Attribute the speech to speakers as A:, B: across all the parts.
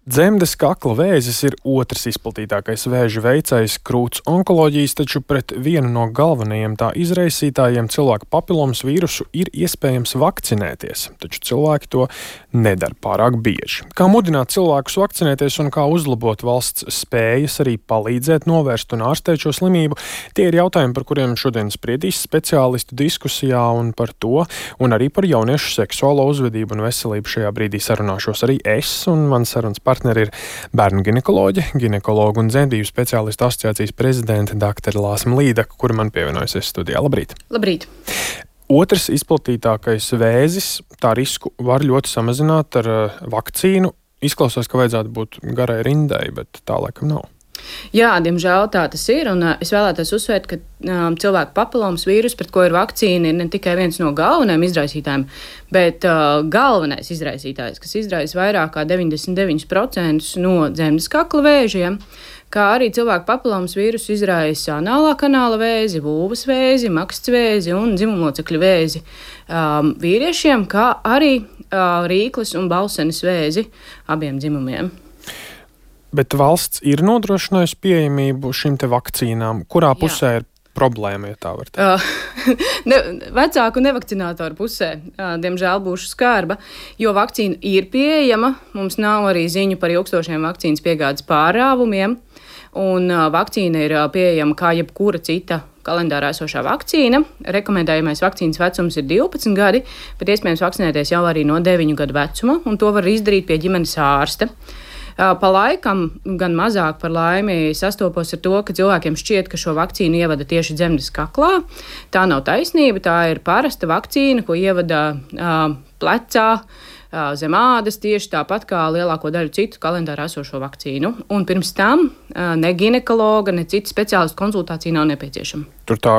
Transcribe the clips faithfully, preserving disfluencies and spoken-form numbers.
A: Dzemdes kakla vēzis ir otrs izplatītākais vēža veicējs krūts onkoloģijas, taču pret vienu no galvenajiem tā izraisītājiem cilvēku papilomas vīrusu ir iespējams vakcinēties, taču cilvēki to nedara pārāk bieži. Kā mudināt cilvēkus vakcinēties un kā uzlabot valsts spējas arī palīdzēt novērst un ārstēt šo slimību, tie ir jautājumi, par kuriem šodien spriedīs speciālistu diskusijā, un par to, un arī par jauniešu seksuālo uzvedību un veselību šajā brīdī sarunāšos arī es un mans sarunas partneri ir bērnu ginekoloģe, ginekologu un dzemdību speciālistu asociācijas prezidente doktora Lāsma Līdaka, kura man pievienojusies studijā. Labrīt!
B: Labrīt!
A: Otrs izplatītākais vēzis, tā risku var ļoti samazināt ar uh, vakcīnu. Izklausās, ka vajadzētu būt garai rindai, bet tā laikam nav.
B: Jā, diemžēl tā tas ir, un uh, es vēlētos uzsvērt, ka um, cilvēku papilomas vīrus, pret ko ir vakcīna, ir ne tikai viens no galvenajiem izraisītājiem, bet uh, galvenais izraisītājs, kas izraisa vairāk kā deviņdesmit deviņi procenti no dzemdes kakla vēžiem, kā arī cilvēku papilomas vīrusu izraisa anālā kanāla vēzi, vulvas vēzi, maksts vēzi un dzimumlocekļu vēzi um, vīriešiem, kā arī uh, rīkles un balsenes vēzi abiem dzimumiem.
A: Bet valsts ir nodrošinājusi pieejamību šīm te vakcīnām, kurā pusē Jā. ir problēma, ja tā var teikt?
B: Uh, ne, vecāku nevakcinātoru pusē, uh, diemžēl, būšu skarba, jo vakcīna ir pieejama. Mums nav arī ziņu par ilgstošiem vakcīnas piegādes pārāvumiem, un uh, vakcīna ir uh, pieejama kā jebkura cita kalendārā esošā vakcīna. Rekomendējamais vakcīnas vecums ir divpadsmit gadi, bet iespējams vakcinēties jau arī no deviņu gadu vecuma, un to var izdarīt pie ģimenes ārsta. Pa laikam, gan mazāk par laimi, sastopos ar to, ka cilvēkiem šķiet, ka šo vakcīnu ievada tieši dzemdes kaklā. Tā nav taisnība, tā ir parasta vakcīna, ko ievada uh, plecā, uh, zem ādas, tieši tāpat kā lielāko daļu citu kalendārā esošo vakcīnu. Un pirms tam uh, ne ginekologa, ne citu speciālistu konsultācija nav nepieciešama.
A: Tur tā,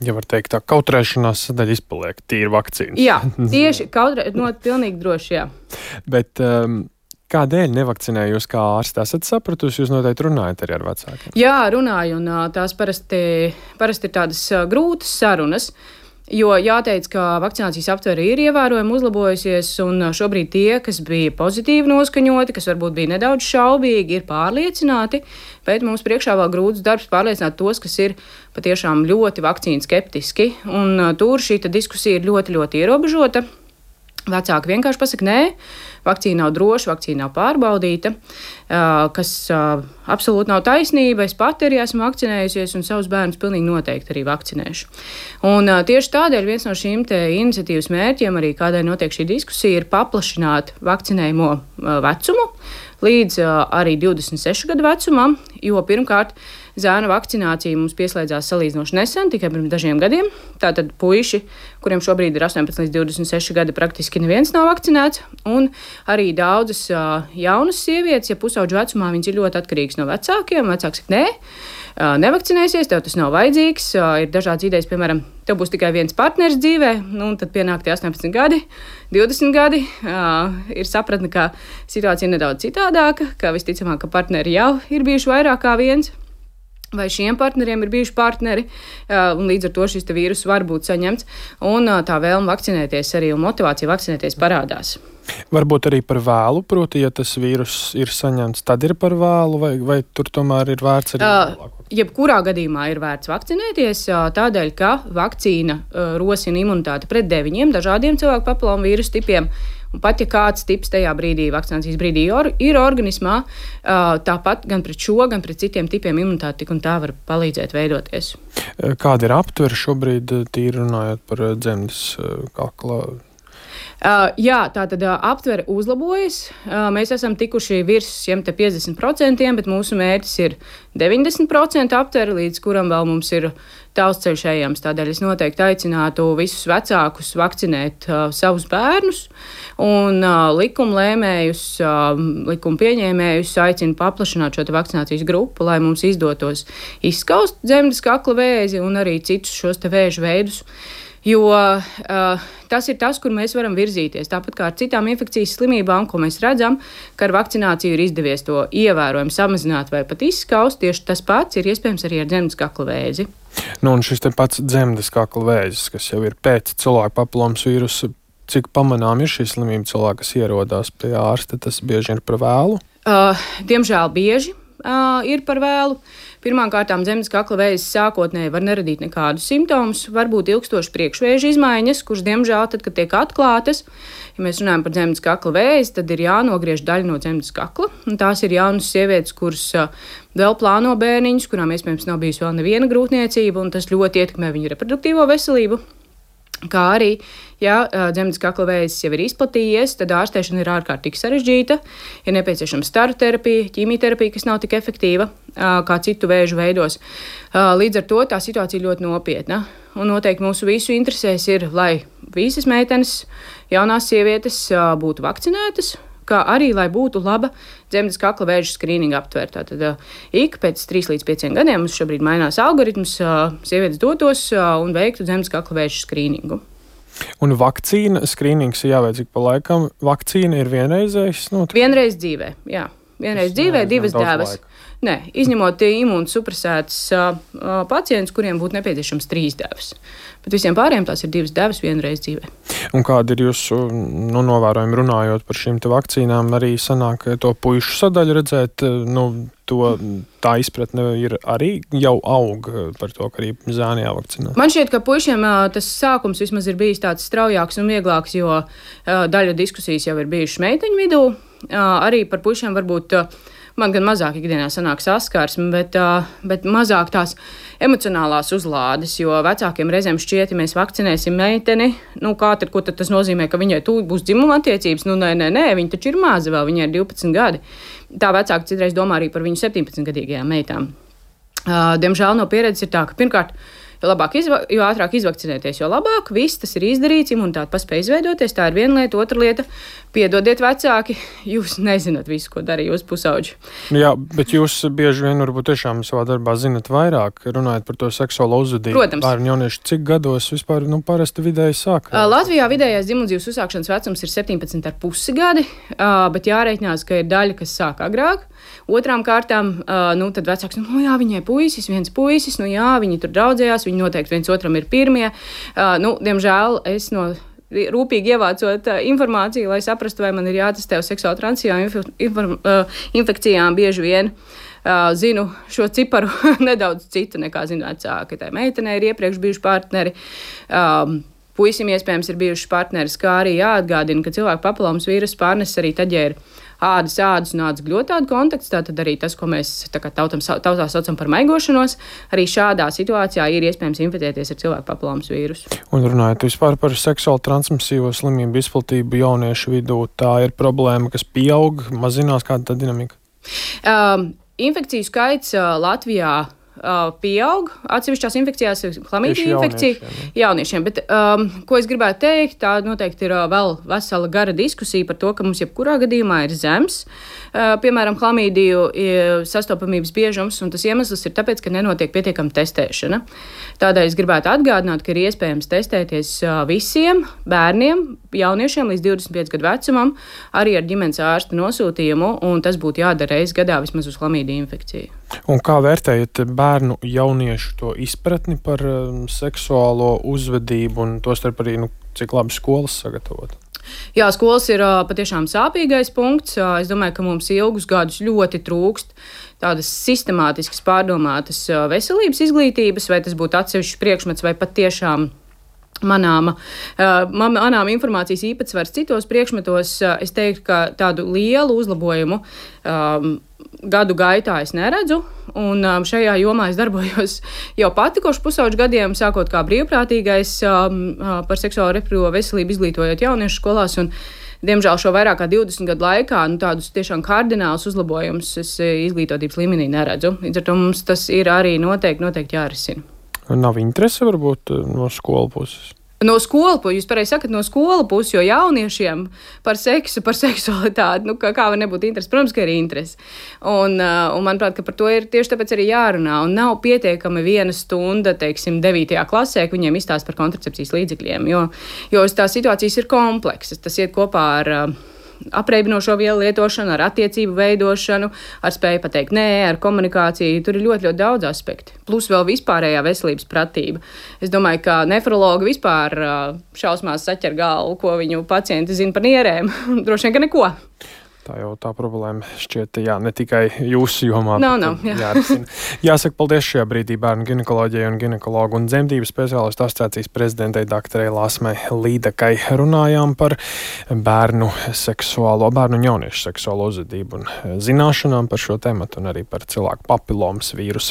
A: ja var teikt, tā kautrēšanās sadaļa izpaliek, tīri vakcīnas.
B: Jā, tieši kautrē, no, pilnīgi droši, jā.
A: Bet... Um, Kādēļ nevakcinēju jūs kā ārsti? Esat sapratusi, jūs noteikti runājat arī ar vecākiem?
B: Jā, runāju, un tās parasti, parasti ir tādas grūtas sarunas, jo jāteic, ka vakcinācijas aptvere ir ievērojami uzlabojusies, un šobrīd tie, kas bija pozitīvi noskaņoti, kas varbūt bija nedaudz šaubīgi, ir pārliecināti, bet mums priekšā vēl grūts darbs pārliecināt tos, kas ir patiešām ļoti vakcīnu skeptiski, un tur šī diskusija ir ļoti, ļoti ierobežota. Vecāki vienkārši pasaka, nē, vakcīna nav droša, vakcīna nav pārbaudīta, kas absolūti nav taisnība. Es pati arī esmu vakcinējusies un savus bērnus pilnīgi noteikti arī vakcinēšu. Un tieši tādēļ viens no šīm te iniciatīvas mērķiem, arī kādēļ notiek šī diskusija, ir paplašināt vakcinējumu vecumu līdz arī divdesmit sešu gadu vecumam, jo pirmkārt zēna vakcinācija mums pieslēdzās salīdzinoši nesen, tikai pirms dažiem gadiem. Tātad puiši, kuriem šobrīd ir astoņpadsmit līdz divdesmit seši gadi, praktiski neviens nav vakcinēts, un arī daudzas uh, jaunas sievietes, ja pusauģu vecumā, viņas ir ļoti atkarīgas no vecākiem. Vecāks saka, nē, uh, nevakcinēsies, tev tas nav vajadzīgs, uh, ir dažādas idejas, piemēram, tev būs tikai viens partneris dzīvē, nu, un tad pienāk tie astoņpadsmit gadi, divdesmit gadi, uh, ir sapratne, ka situācija ir nedaudz citādāka, ka visticamāk, ka partneri jau ir bijuši vairāk kā viens. Vai šiem partneriem ir bijuši partneri, un līdz ar to šis vīrus var būt saņemts, un tā vēlme vakcinēties arī un motivācija vakcinēties parādās.
A: Varbūt arī par vēlu, proti, ja tas vīrus ir saņemts, tad ir par vēlu, vai, vai tur tomēr ir vērts arī vēlāk?
B: Uh, jebkurā gadījumā ir vērts vakcinēties, tādēļ, ka vakcīna uh, rosina imunitāti pret deviņiem dažādiem cilvēku papilomu vīrusu tipiem. Un pat ja kāds tips tajā brīdī, vakcinācijas brīdī ir organismā, tāpat gan pret šo, gan pret citiem tipiem imunitāte tik un tā var palīdzēt veidoties.
A: Kāda ir aptvere šobrīd, tīri runājot par dzemdes kakla?
B: Uh, jā, tā tad uh, aptvere uzlabojas. Uh, mēs esam tikuši virs šiem te piecdesmit procentiem, bet mūsu mērķis ir deviņdesmit procenti aptvere, līdz kuram vēl mums ir tāls ceļš ejams. Tādēļ es noteikti aicinātu visus vecākus vakcinēt uh, savus bērnus, un uh, likumlēmējus, uh, likuma pieņēmējus aicinu paplašināt šo te vakcinācijas grupu, lai mums izdotos izskaust dzemdes kakla vēzi un arī citus šos te vēža veidus. Jo uh, tas ir tas, kur mēs varam virzīties. Tāpat kā ar citām infekcijas slimībām, ko mēs redzam, ka ar vakcināciju ir izdevies to ievērojami samazināt vai pat izskaust, tieši tas pats ir iespējams arī ar dzemdes kakla vēzi.
A: Nu, un šis te pats dzemdes kakla vēzis, kas jau ir pēc cilvēku papilomas vīrusa, cik pamanām ir šī slimība cilvēki, kas ierodās pie ārsta, tas bieži ir par vēlu?
B: Uh, diemžēl bieži uh, ir par vēlu. Pirmkārt, zemes kakla vēzis sākotnēji var neradīt nekādus simptomus, varbūt ilgstoši priekšvēža izmaiņas, kuras, diemžēl, tad, kad tiek atklātas, ja mēs runājam par zemes kakla vēzi, tad ir jānogriež daļa no zemes kakla. Tās ir jaunas sievietes, kuras uh, vēl plāno bērniņus, kurām iespējams nav bijusi vēl neviena grūtniecība, un tas ļoti ietekmē viņu reproduktīvo veselību. Kā arī, ja zemes kakla vēzis jau ir izplatījies, tad ārstēšana ir ārkārtīgi sarežģīta. Ir nepieciešama staru terapija, ķīmijterapija, kas nav tik efektīva kā citu vēžu veidos. Līdz ar to tā situācija ļoti nopietna. Un noteikti mūsu visu interesēs ir, lai visas meitenes, jaunās sievietes būtu vakcinētas, kā arī, lai būtu laba zemes kakla vēža skrīninga aptvērta. Tad ik pēc trīs līdz pieciem gadiem mums šobrīd mainās algoritms, sievietes dotos un veiktu zemes kakla vēža skrīningu.
A: Un vakcīna skrīnings ir jāveic ik pa laikam. Vakcīna ir vienreizējs? Nu,
B: Vienreiz dzīvē, jā. Vienreiz dzīvē, divas dēvas. Nē, izņemot imūnsupresētas uh, pacientus, kuriem būtu nepieciešams trīs dēvas. Bet visiem pārējiem tās ir divas dēvas vienreiz dzīvē.
A: Un kādi ir jūsu nu, novērojumi runājot par šīm vakcīnām? Arī sanāk to puišu sadaļu redzēt, nu, to, tā izpratne ir arī jau aug par to, ka arī zēni jāvakcinē.
B: Man šķiet, ka puišiem tas sākums vismaz ir bijis tāds straujāks un vieglāks, jo daļa diskusijas jau ir bijušas meiteņu vidū. Arī par puišiem varbūt man gan mazāk ikdienā sanāk saskarsme, bet, bet mazāk tās emocionālās uzlādes, jo vecākiem reizēm šķiet, ja mēs vakcinēsim meiteni, nu kā tad, ko tad tas nozīmē, ka viņai tūlīt būs dzimuma attiecības? Nu nē, nē, nē, viņa taču ir maza vēl, viņai ir divpadsmit gadi. Tā vecāki citreiz domā arī par viņu septiņpadsmitgadīgajām meitām. Diemžēl no pieredzes ir tā, ka pirmkārt, Jo, labāk izva, jo ātrāk izvakcinēties, jo labāk. Viss tas ir izdarīts, imunitāte paspēja izveidoties. Tā ir viena lieta. Otra lieta - piedodiet, vecāki, jūs nezināt visu, ko dara jūsu pusauģi.
A: Jā, bet jūs bieži vien varbūt tiešām savā darbā zinat vairāk, runājot par to seksuālo uzvedību.
B: Protams.
A: Bērnu jaunieši cik gados vispār nu, parasti vidēji sāk?
B: Latvijā vidējais dzimumdzīves uzsākšanas vecums ir septiņpadsmit ar pusi gadi, bet jārēķinās, ka ir daļa, kas sāk agrāk. Otrām kārtām, nu, tad vecāks, nu, jā, viņai puisis, viens puisis, nu, jā, viņi tur draudzējās, viņi noteikti viens otram ir pirmie. Nu, diemžēl es no rūpīgi ievācot informāciju, lai saprastu, vai man ir jātestē uz seksuāli transmisijām infekcijām, bieži vien zinu šo ciparu nedaudz citu nekā zinu vecāki. Tā meitenei ir iepriekš bijuši partneri. Puisim iespējams ir bijuši partneris, kā arī jāatgādina, ka cilvēku papilomas vīrusu pārnes arī tad, ja ir ādas, ādas un ādas gļotādu kontakts, tātad arī tas, ko mēs tā kā tautam, tautā saucam par maigošanos, arī šādā situācijā ir iespējams inficēties ar cilvēku papilomas vīrusu. Un
A: runājot vispār par seksuāli transmisīvo slimību izplatību jauniešu vidū, tā ir problēma, kas pieaug, mazinās, kāda tā dinamika?
B: Um, infekciju skaits uh, Latvijā pieaug. Atsevišķās infekcijās ir klamīdija infekcija jauniešiem, jauniešiem. Bet, um, ko es gribētu teikt, tā noteikti ir uh, vēl vesela gara diskusija par to, ka mums jebkurā gadījumā ir zems, uh, piemēram, klamīdiju sastopamības biežums, un tas iemesls ir tāpēc, ka nenotiek pietiekama testēšana. Tādēļ es gribētu atgādināt, ka ir iespējams testēties uh, visiem bērniem, jauniešiem līdz divdesmit pieci gadu vecumam, arī ar ģimenes ārsta nosūtījumu, un tas būtu jādara reizes gadā vismaz uz klamīdiju infekciju.
A: Un kā vērtējat bērnu jauniešu to izpratni par um, seksuālo uzvedību un tostarp arī, nu, cik labi skolas sagatavot?
B: Jā, skolas ir uh, patiešām sāpīgais punkts. Uh, es domāju, ka mums ilgus gadus ļoti trūkst tādas sistemātiskas pārdomātas uh, veselības izglītības, vai tas būtu atsevišķs priekšmets vai pat tiešām manāma, uh, manām informācijas īpatsvars citos priekšmetos. Uh, es teiktu, ka tādu lielu uzlabojumu um, gadu gaitā es neredzu, un um, šajā jomā es darbojos jau pati kopš pusauģu gadiem, sākot kā brīvprātīgais um, par seksuālo reproduktīvo veselību izglītojot jauniešu skolās, un diemžēl šo vairāk kā divdesmit gadu laikā nu, tādus tiešām kardinālus uzlabojumus es izglītotības līmenī neredzu. Līdz ar to mums tas ir arī noteikti, noteikti jārisina.
A: Nav interese varbūt no skolu puses?
B: No skolu puses, jūs pareizi sakat, no skolu puses, jo jauniešiem par seksu, par seksualitāti, nu, kā, kā var nebūt interesi, protams, ka ir interesi. Un, un manuprāt, ka par to ir tieši tāpēc arī jārunā. Un nav pietiekami viena stunda, teiksim, devītajā klasē, ka viņiem izstāst par kontracepcijas līdzekļiem, jo, jo tās situācijas ir kompleksas. Tas iet kopā ar apreibinošo vielu lietošanu, ar attiecību veidošanu, ar spēju pateikt nē, ar komunikāciju. Tur ir ļoti, ļoti daudz aspekti. Plus vēl vispārējā veselības pratība. Es domāju, ka nefrologi vispār šausmās saķer galvu, ko viņu pacienti zina par nierēm. Droši vien, ka neko.
A: tā jau tā problēma šķiet, jā, ne tikai jūsu jomā.
B: Nav, nav, jā.
A: Jārisina. Jāsaka paldies šajā brīdī bērnu ginekoloģijai un ginekologu un dzemdību speciālistu asociācijas prezidentei doktorei Lāsmai Līdakai. Runājām par bērnu seksuālo, bērnu un jauniešu seksuālo uzvedību un zināšanām par šo tematu un arī par cilvēku papilomas vīrusu